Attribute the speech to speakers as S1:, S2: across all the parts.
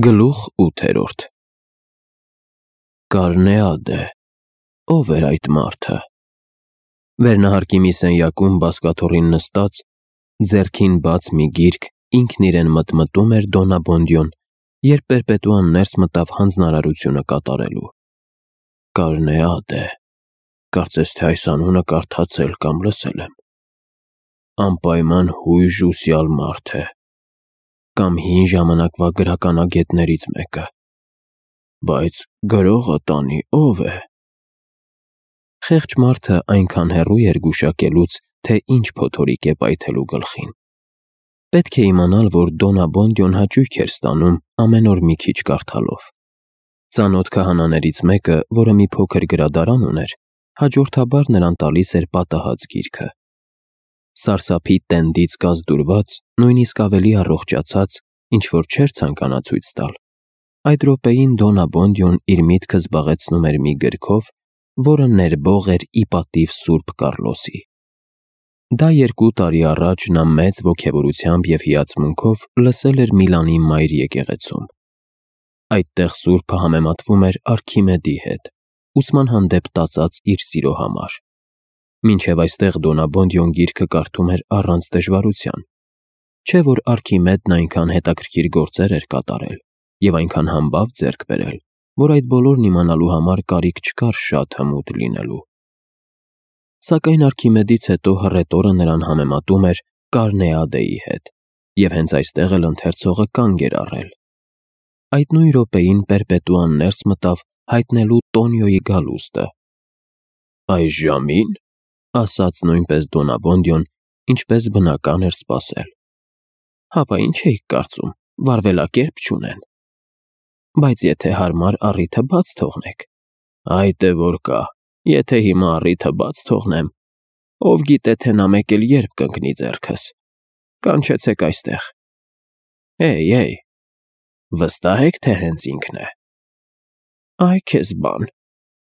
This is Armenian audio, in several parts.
S1: Գլուխ 8 Կարնեադե, ով էր այդ մարդը։ Վերնահարկի մի սենյակում բազկաթոռին նստած, ձեռքին բաց մի գիրք, ինքն իրեն մտմտում էր Դոնաբոնդյոն, երբ Պերպետուան ներս մտավ հանձնարարությունը կատարելու։ Կարնեադե, կարծես թե այս անունը կարդացել կամ լսել եմ։ Անպայման հույժ ու սյալ մարդ է, կամ հին ժամանակվա գրականագետներից մեկը, բայց գրողը տանի ով է։ Խեղճ մարդը այնքան հեռու էր գուշակելուց, թե ինչ փոթորիկ է պայթելու գլխին։ Պետք է իմանալ, որ Դոնաբոնդյոն հաճույք էր ստանում ամեն օր մի քիչ կարդալով։ Ծանոթ քահանաներից մեկը, որը մի փոքր գրադարան ուներ, հաջորդաբար նրան տալիս էր պատահած գիրքը։ Սարսափի տենդից կազդուրված, նույնիսկ ավելի առողջացած, ինչ-որ չէր ցանկանա ցույց տալ։ Այդ րոպեին Դոնաբոնդյոն իր միտքը զբաղեցնում էր մի գրքով, որը ներբող էր ի պատիվ Սուրբ Կառլոսի։ Դա 2 տարի առաջ նա մեծ ոգևորությամբ և հիացմունքով լսել էր Միլանի Մայր եկեղեցում։ Այդտեղ Սուրբը համեմատվում էր Արքիմեդի հետ, ուսման հանդեպ տածած իր սիրո համար։ Մինչև այստեղ Դոնաբոնդյոն գիրքը կարդում էր առանց դժվարության։ Չէ՞ որ Արքիմեդն այնքան հետաքրքիր գործեր էր կատարել և այնքան համբավ ձեռք բերել, որ այդ բոլորն իմանալու համար կարիք չկար շատ հմուտ լինելու։ Սակայն Արքիմեդից հետո հռետորը նրան համեմատում էր Կարնեադեի հետ, և հենց այստեղ էլ ընթերցողը կանգ էր առել։ Այդ նույն րոպեին Պերպետուան ներս մտավ հայտնելու Տոնիոյի գալուստը։ Այս ժամի՞ն, ասաց նույնպես Դոնաբոնդյոն, ինչպես բնական էր սպասել։ Հապա ինչ էիք կարծում, վարվելակերպ չունեն։ Բայց եթե հարմար առիթը բաց թողնեք։ Այդ է որ կա, եթե հիմա առիթը բաց թողնեմ, ով գիտե թե նա մեկ էլ երբ կընկնի ձեռքս։ Կանչեցեք այստեղ։ Էй, վստահ եք, թե հենց ինքն է։ Այ քեզ բան,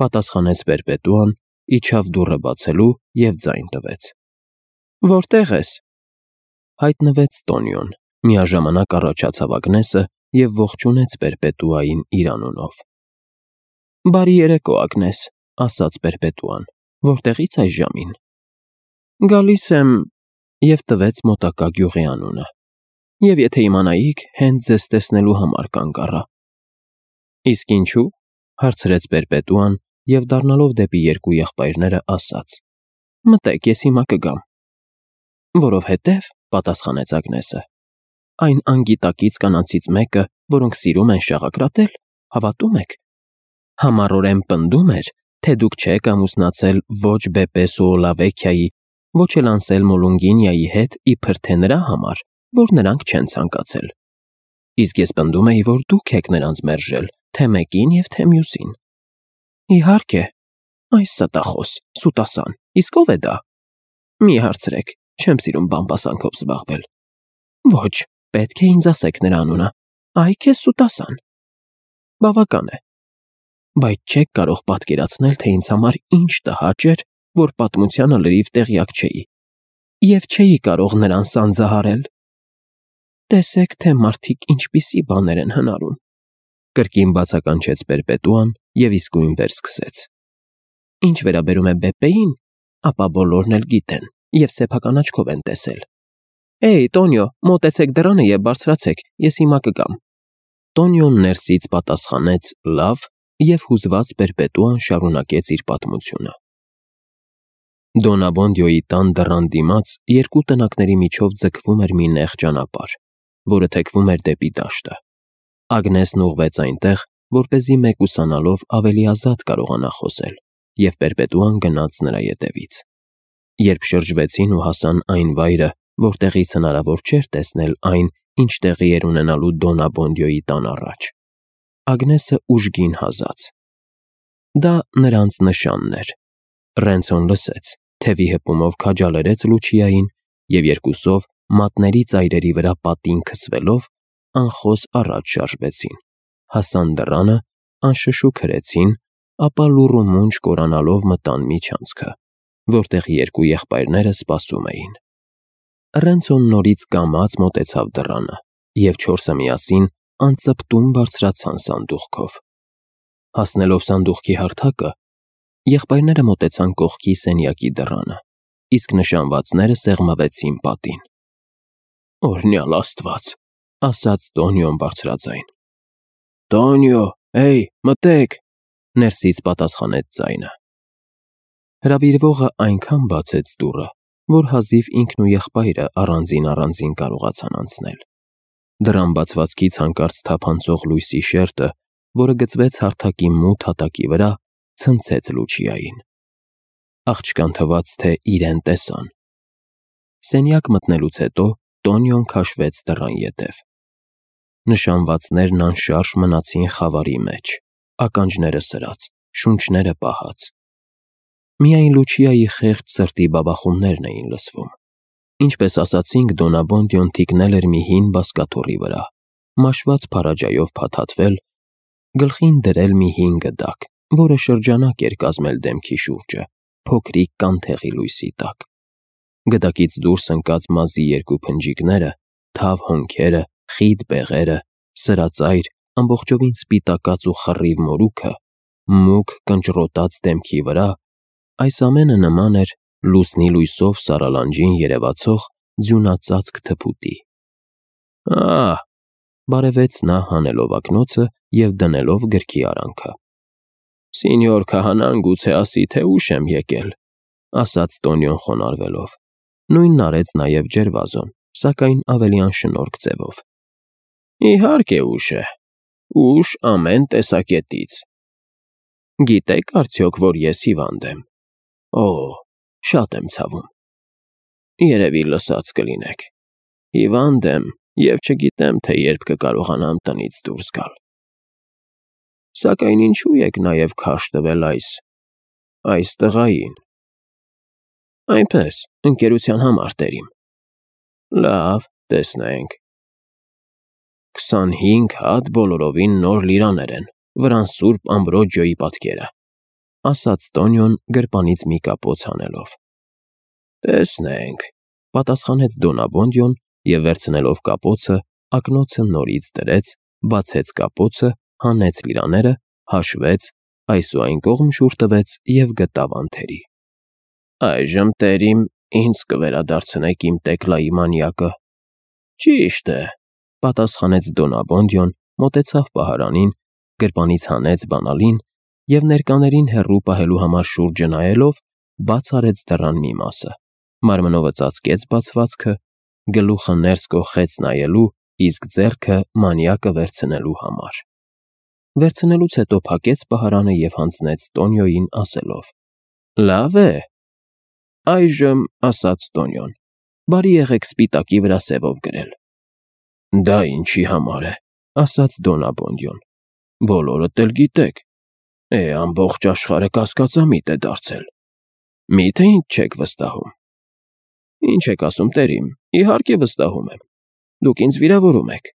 S1: պատասխանեց Պերպետուան, իջավ դուռը բացելու և ձայն տվեց։ Որտե՞ղ ես։ Հայտնվեց Տոնիոն, միաժամանակ առաջացավ Ագնեսը և ողջունեց Պերպետուային իր անունով։ Բարի երեկո, Ագնես, ասաց Պերպետուան, որտեղից այս ժամին։ Գալիս եմ, և տվեց մոտակա գյուղի անունը։ Եվ եթե իմանայիք, հենց ձեզ տեսնելու համար կանգ առա։ Իսկ ինչու՞, հարցրեց Պերպետուան և դառնալով դեպի 2 եղբայրները ասաց. Մտեք, ես հիմա կգամ։ Որովհետև, պատասխանեց Ագնեսը, այն անգիտակից կանանցից մեկը, որոնք սիրում են շաղակրատել, հավատում եք, համառորեն պնդում էր, թե դուք չեք ամուսնացել ոչ Բեպե Սուոլավեքիայի, ոչ էլ Անսելմո Լունգինիայի հետ իբր թե նրա համար, որ նրանք չեն ցանկացել։ Իսկ ես պնդում էի, որ դուք եք նրանց մերժել, թե մեկին և թե մյուսին։ Իհարկե, այս ստախոս, սուտասան, իսկ ով է դա։ Մի հարցրեք, չեմ սիրում բամբասանքով զբաղվել։ Ոչ, պետք է ինձ ասեք նրա անունը։ Այ քեզ սուտասան։ Բավական է։ Բայց չեք կարող պատկերացնել, թե ինձ համար ինչ տհաճ էր, որ պատմությանը լրիվ տեղյակ չէի, և չէի կարող նրան սանձահարել։ Տեսեք, թե մարդիկ ինչպիսի բաներ են հնարում։ Կրկին բացականչեց Պերպետուան և իսկույն վերսկսեց։ Ինչ վերաբերում է Բեպեին, ապա բոլորն էլ գիտեն և սեփական աչքով են տեսել։ Էй, Տոնիո, մոտեցեք դռանը և բարձրացեք, ես հիմա կգամ։ Տոնիոն ներսից պատասխանեց լավ և հուզված Պերպետուան շարունակեց իր պատմությունը։ Դոնաբոնդյոյի տան դռան դիմաց 2 տնակների միջով ձգվում էր մի նեղ ճանապարհ, որը թեքվում էր դեպի դաշտը։ Ագնեսն ուղղվեց այնտեղ, որպեսզի մեկուսանալով ավելի ազատ կարողանա խոսել, և Պերպետուան գնաց նրա ետևից։ Երբ շրջվեցին ու հասան այն վայրը, որտեղից հնարավոր չէր տեսնել այն, ինչ տեղի էր ունենալու Դոնաբոնդյոյի տան առաջ, Ագնեսը ուժգին հազաց։ Դա նրանց նշանն էր։ Ռենցոն լսեց, թևի հպումով քաջալերեց Լուչիային և երկուսով մատների ծայրերի վրա պատին քսվելով անխոս առաջ շարժվեցին, հասան դռանը, անշշուկ հրեցին, ապա լուռ ու մունջ կորանալով մտան միջանցքը, որտեղ 2 եղբայրները սպասում էին։ Ռենցոն նորից կամաց մոտեցավ դռանը, և 4-ը միասին անծպտում բարձրացան սանդուղքով։ Հասնելով սանդուղքի հարթակը, եղբայրները մոտեցան կողքի սենյակի դռանը, իսկ նշանվածները սեղմվեցին պատին։ «Օրհնյալ Աստված», ասաց Տոնիոն բարձրաձայն։ «Տոնիո, հեյ, մտեք», ներսից պատասխանեց ձայնը։ Հրավիրվողը այնքան բացեց դուռը, որ հազիվ ինքն ու եղբայրը առանձին կարողացան անցնել։ Դռան բացվածքից հանկարծ թափանցող լույսի շերտը, որը գծվեց հարթակի մութ հատակի վրա, ցնցեց Լուչիային։ Աղջկան թվաց, թե իրեն տեսան։ Սենյակ մտնելուց հետո Տոնիոն քաշվեց դռան ետև։ Նշանվածներն անշարժ մնացին խավարի մեջ, ականջները սրած, շունչները պահած։ Միայն Լուչիայի խեղճ սրտի բաբախումներն էին լսվում։ Ինչպես ասացինք, Դոնաբոնդիոն թիկնել էր մի հին բազկաթոռի վրա, մաշված փարաջայով փաթաթվել, գլխին դրել մի հին գդակ, որը շրջանակ էր կազմել դեմքի շուրջը, փոքրիկ կանթեղի լույսի տակ։ Գդակից դուրս ընկած մազի երկու փնջիկները, թավ հոնքերը, խիտ բեղերը, սրածայր, ամբողջովին սպիտակած ու խռիվ մորուքը, մուգ կնճռոտած դեմքի վրա, այս ամենը նման էր լուսնի լույսով սարալանջին երևացող ձյունածածկ թփուտի։ «Ահ», բարևեց նա հանելով ակնոցը և դնելով գրքի արանքը։ «Սինյոր քահանան գուցե ասի, թե ուշ եմ եկել», ասաց Տոնիոն խոնարհվելով։ Նույնն արեց նաև Ջերվազոն, սակայն ավելի անշնորհք ձևով։ «Իհարկե ուշ է, ուշ ամեն տեսակետից։ Գիտեք արդյոք, որ ես հիվանդ եմ։ Օ, շատ եմ ցավում։ Երևի լսած կլինեք։ Հիվանդ եմ և չգիտեմ, թե երբ կկարողանամ տնից դուրս գալ։ Սակայն ինչու եք նաև քարշ տվել այս տղային։ Այնպես, ընկերության համար տերիմ։ Լավ, տեսնենք։ 25 հատ բոլորովին նոր լիրաներ են, վրան Սուրբ Ամբրոջիոյի պատկերը, ասաց Տոնիոն գրպանից մի կապոց հանելով։ Տեսնենք, պատասխանեց Դոնաբոնդիոն և վերցնելով կապոցը, ակնոցը նորից դրեց, բացեց կապոցը, հանեց լիրաները, հաշվեց, այս ու այն կողմ շուռ տվեց և գտավ անթերի։ Այժմ, տերիմ, ինձ կվերադարձնեք իմ Տեկլայի մանյակը։ Ճիշտ է, պատասխանեց Դոնաբոնդիոն, մոտեցավ պահարանին, գրպանից հանեց բանալին և ներկաներին հեռու պահելու համար շուրջը նայելով, բաց արեց դռան մի մասը, մարմնովը ծածկեց բացվածքը, գլուխը ներս կոխեց նայելու, իսկ ձեռքը մանյակը վերցնելու համար։ Վերցնելուց հետո փակեց պահարանը և հանձնեց Տոնիոյին, ասելով. Լավ է։ Այժմ, ասաց Տոնիոն, բարի եղեք սպիտակի վրա սևով գրել։ Դա ինչի համար է, ասաց Դոնաբոնդիոն։ Բոլորդ էլ գիտեք։ Ամբողջ աշխարհը կասկածամիտ է դարձել։ Միթե ինձ չեք վստահում։ Ինչ եք ասում, տերիմ, իհարկե վստահում եմ։ Դուք ինձ վիրավորում եք։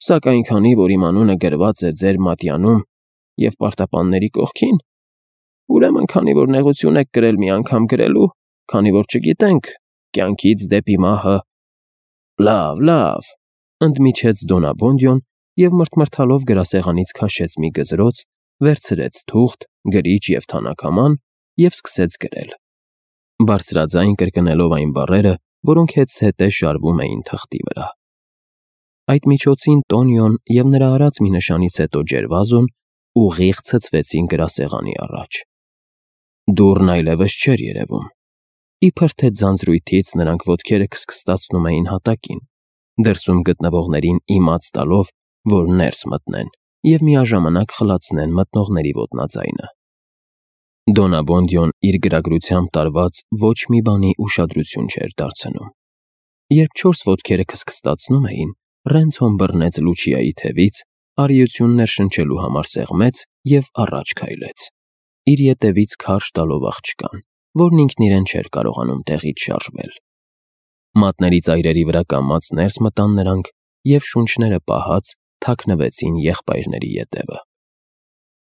S1: Սակայն քանի որ իմ անունը գրված է ձեր մատյանում և պարտապանների կողքին, ուրեմն քանի որ նեղություն եք կրել մի անգամ գրելու, քանի որ չգիտենք, կյանքից դեպի մահը… Լավ, ընդմիջեց Դոնաբոնդիոն և մրթմրթալով գրասեղանից քաշեց մի գզրոց, վերցրեց թուղթ, գրիչ և թանաքաման և սկսեց գրել, բարձրաձայն կրկնելով այն բառերը, որոնք հետզհետե շարվում էին թղթի վրա։ Այդ միջոցին Տոնիոն և նրա արած մի նշանից հետո Ջերվազոն ուղիղ ցցվեցին գրասեղանի առաջ։ Դուռն այլևս չէր երևում։ Իբր թե ձանձրույթից նրանք ոտքերը քսքստացնում էին հատակին, դրսում գտնվողներին իմաց տալով, որ ներս մտնեն և միաժամանակ խլացնեն մտնողների ոտնաձայնը։ Դոնաբոնդիոն իր գրագրությամբ տարված ոչ մի բանի ուշադրություն չէր դարձնում։ Երբ 4 ոտքերը քսքստացնում էին, Ռենցոն բռնեց Լուչիայի թևից, արիություն ներշնչելու համար սեղմեց և առաջ քայլեց, իր ետևից քարշ տալով աղջկան, որն ինքն իրեն չէր կարողանում տեղից շարժվել։ Մատների ծայրերի վրա կամաց ներս մտան նրանք և շունչները պահած թաքնվեցին եղբայրների ետևը։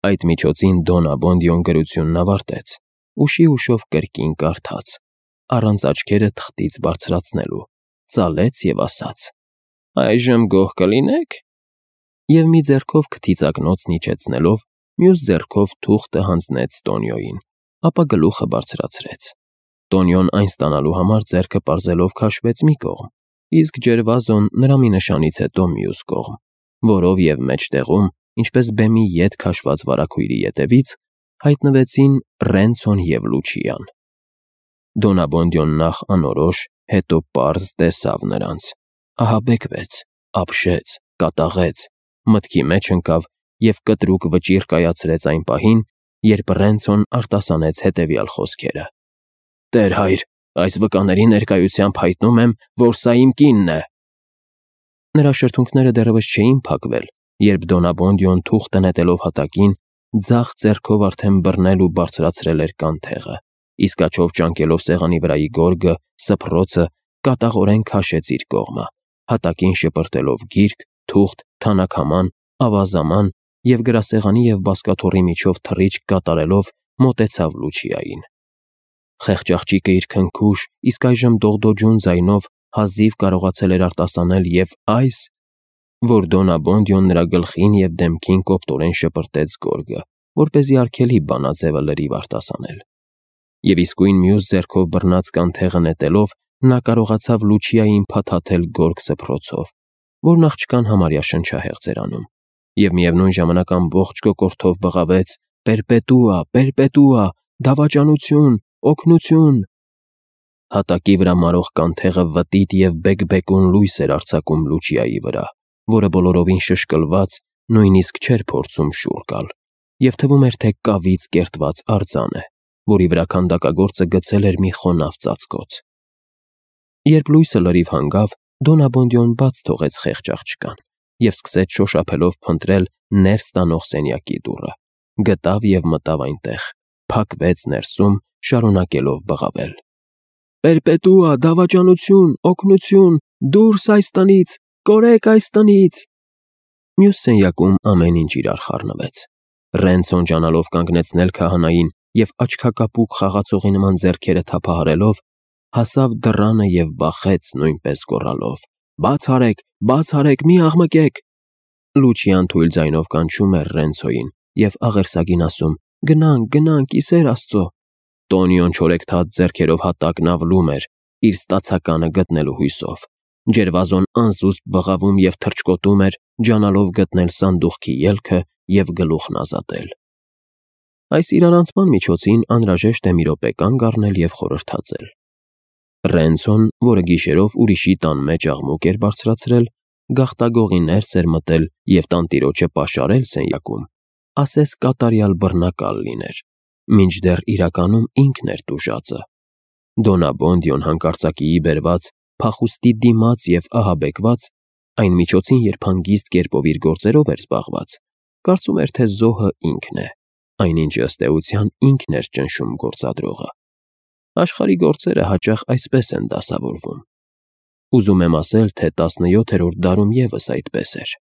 S1: Այդ միջոցին Դոնաբոնդիոն գրությունն ավարտեց, ուշի ուշով կրկին կարդաց, առանց աչքերը թղթից բարձրացնելու, ծալեց և ասաց. Այժմ գոհ կլինե՞ք։ և մի ձեռքով քթիծակնոցն իջեցնելով, մյուս ձեռքով թուղթը հանձնեց Տոնիոյին, ապա գլուխը բարձրացրեց։ Տոնիոն այն ստանալու համար ձեռքը պարզելով քաշվեց մի կողմ, իսկ Ջերվազոն նրա մի նշանից հետո մյուս կողմ, որով և մեջտեղում, ինչպես բեմի ետ քաշված վարագույրի ետևից, հայտնվեցին Ռենցոն և Լուչիան։ Դոնաբոնդյոն նախ անորոշ, հետո պարզ տեսավ նրանց, ահաբեկվեց, ապշեց, կատաղեց, մտքի մեջ ընկավ և կտրուկ վճիռ կայացրեց այն պահին, երբ Ռենցոն արտասանեց հետևյալ խոսքերը. «Տեր հայր, այս վկաների ներկայությամբ հայտնում եմ, որ սա իմ կինն է»։ Նրա շրթունքները դեռևս չէին փակվել, երբ Դոնաբոնդյոն թուղթը նետելով հատակին, ձախ ձեռքով արդեն բռնել ու բարձրացրել էր կանթեղը, իսկ աջով ճանկելով սեղանի վրայի գորգը, սփռոցը, կատաղորեն քաշեց իր կողմը, հատակին շպրտելով գիրք, թուղթ, թանաքաման, ավազաման և գրասեղանի և բազկաթոռի միջով թռիչք կատարելով մոտեցավ Լուչիային։ Խեղճ աղջիկը իր քնքուշ, իսկ այժմ դողդոջուն ձայնով հազիվ կարողացել էր արտասանել և այս, որ Դոնաբոնդյոն նրա գլխին և դեմքին կոպտորեն շպրտեց գորգը, որպեսզի արգելի բանաձևը լրիվ արտասանել։ Եվ իսկույն մյուս ձեռքով բռնած կանթեղը նետելով, նա կարողացավ Լուչիային փաթաթել գորգ սփռոցով, որն աղջկան համարյա շնչահեղձ էր անում, և միևնույն ժամանակ ամբողջ կոկորդով բղավեց. «Պերպետուա, պերպետուա, դավաճանություն, օգնություն»։ Հատակի վրա մարող կանթեղը վտիտ և բեկբեկուն լույս էր արձակում Լուչիայի վրա, որը բոլորովին շշկլված, նույնիսկ չէր փորձում շուռ գալ, և թվում էր, թե կավից կերտված արձան է, որի վրա քանդակագործը գցել էր մի խոնավ ծածկոց։ Երբ լույսը լրիվ հանգավ, Դոնաբոնդյոն բաց թողեց խեղճ աղջկան և սկսեց շոշափելով փնտրել ներս տանող սենյակի դուռը, գտավ և մտավ այնտեղ, փակվեց ներսում, շարունակելով բղավել. «Պերպետուա, դավաճանություն, օգնություն, դուրս այս տնից, կորեք այս տնից»։ Մյուս սենյակում ամեն ինչ իրար խառնվեց։ Ռենցոն ջանալով կանգնեցնել քահանային և աչքակապուկ խաղացողի նման ձեռքերը թափահարելով, հասավ դռանը և բախեց, նույնպես գոռալով. Բաց արեք, մի աղմկեք»։ Լուչիան թույլ ձայնով կանչում էր Ռենցոյին և աղերսագին ասում. «Գնանք, ի սեր Աստծո»։ Տոնիոն չորեքթաթ ձեռքերով հատակն ավլում էր, իր ստացականը գտնելու հույսով։ Ջերվազոն անզուսպ բղավում և թռչկոտում էր, ջանալով գտնել սանդուղքի ելքը և գլուխն ազատել։ Այս իրարանցման միջոցին անհրաժեշտ է մի րոպե կանգ առնել և խորհրդածել։ Ռենցոն, որը գիշերով ուրիշի տան մեջ աղմուկ էր բարձրացրել, գաղտագողի ներս էր մտել և տանտիրոջը պաշարել սենյակում, ասես կատարյալ բռնակալ լիներ, մինչդեռ իրականում ինքն էր տուժածը։ Դոնաբոնդյոն հանկարծակիի բերված, փախուստի դիմաց և ահաբեկված, այն միջոցին, երբ հանգիստ կերպով իր գործերով էր զբաղված, կարծում էր, թե զոհը ինքն է, այնինչ ըստ էության ինքն էր ճնշում գործադրողը։ Աշխարհի գործերը հաճախ այսպես են դասավորվում։ Ուզում եմ ասել, թե 17-րդ դարում ևս այդպես էր։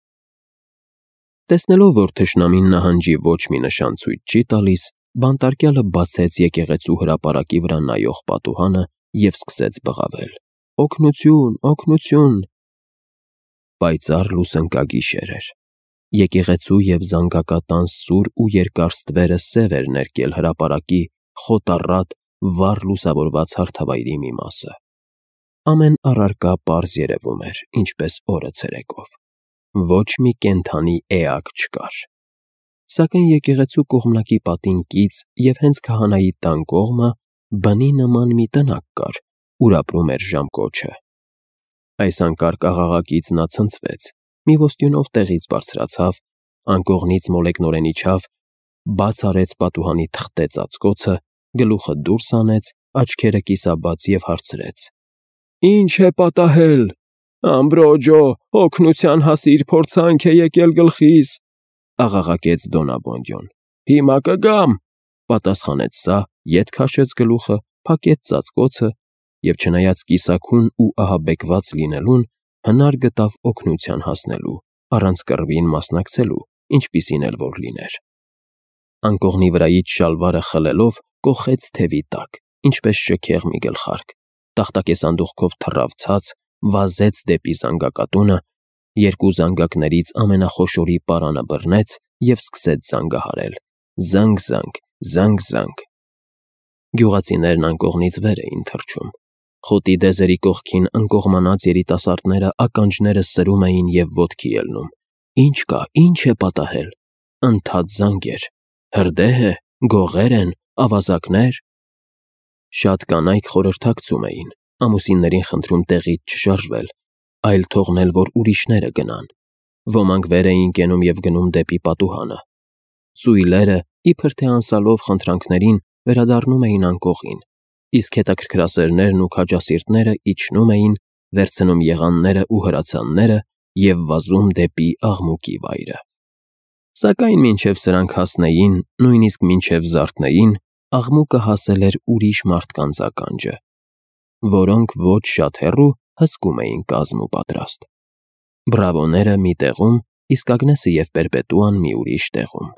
S1: Տեսնելով, որ թշնամին նահանջի ոչ մի նշան ցույց չի տալիս, բանտարկյալը բացեց եկեղեցու հրապարակի վրա նայող պատուհանը և սկսեց բղավել. «Օգնություն, օգնություն»։ Պայծառ լուսընկագիշեր էր։ Եկեղեցու և զանգակատան սուր ու երկար ստվերը սև էր ներկել հրապարակի խոտառատ, վառ լուսավորված հարթավայրի մի մասը։ Ամեն առարկա պարզ երևում էր, ինչպես օրը ցերեկով։ Ոչ մի կենդանի էակ չկար։ Սակայն եկեղեցու կողմնակի պատին կից և հենց քահանայի տան կողմը բնի նման մի տնակ կար, ուր ապրում էր ժամկոչը։ Այս անկարգ աղաղակից նա ցնցվեց, մի ոստյունով տեղից բարձրացավ, անկողնից մոլեգնորեն իջավ, բաց արեց պատուհանի թղթե ծածկոցը, գլուխը դուրս հանեց, աչքերը կիսաբաց և հարցրեց. «Ի՞նչ է պատահել։ Ամբրոջո, օգնության հասիր, փորձանք է եկել գլխիս», աղաղակեց Դոնաբոնդյոն։ «Հիմա կգամ», պատասխանեց սա, ետ քաշեց գլուխը, փակեց ծածկոցը և, չնայած կիսաքուն ու ահաբեկված լինելուն, հնար գտավ օգնության հասնելու, առանց կռվին մասնակցելու, ինչպիսին էլ որ լիներ։ Անկողնի վրայից շալվարը խլելով, կոխեց թևի տակ, ինչպես շքեղ մի գլխարկ, տախտակե սանդուղքով թռավ ցած, վազեց դեպի զանգակատունը երկու զանգակներից ամենախոշորի պարանը բռնեց և սկսեց զանգահարել. զանգ-զանգ, զանգ-զանգ։ Գյուղացիներն անկողնից վեր էին թռչում։ Խոտի դեզերի կողքին ընկողմանած երիտասարդները ականջները սրում էին և ոտքի ելնում։ Ինչ կա, ինչ է պատահել։ Ընդհատ զանգ էր։ Հրդե՞հ է, գողե՞ր են, ավազակնե՞ր։ Շատ կանայք խորհրդակցում էին, ամուսիններին խնդրում տեղից չշարժվել, այլ թողնել, որ ուրիշները գնան։ Ոմանք վեր էին կենում և գնում դեպի պատուհանը։ Ծույլերը, իբր թե անսալով խնդրանքներին, վերադառնում էին անկողին, իսկ հետաքրքրասերներն ու քաջասիրտները իջնում էին, վերցնում եղաններն ու հրացանները և վազում դեպի աղմուկի վայրը։ Սակայն մինչև սրանք հասնեին, նույնիսկ մինչև զարթնեին, աղմուկը հասել էր ուրիշ մարդկանց ականջը, որոնք ոչ շատ հեռու հսկում էին կազմ ու պատրաստ։ Բրավոները մի տեղում, իսկ Ագնեսը և Պերպետուան մի ուրիշ տեղում։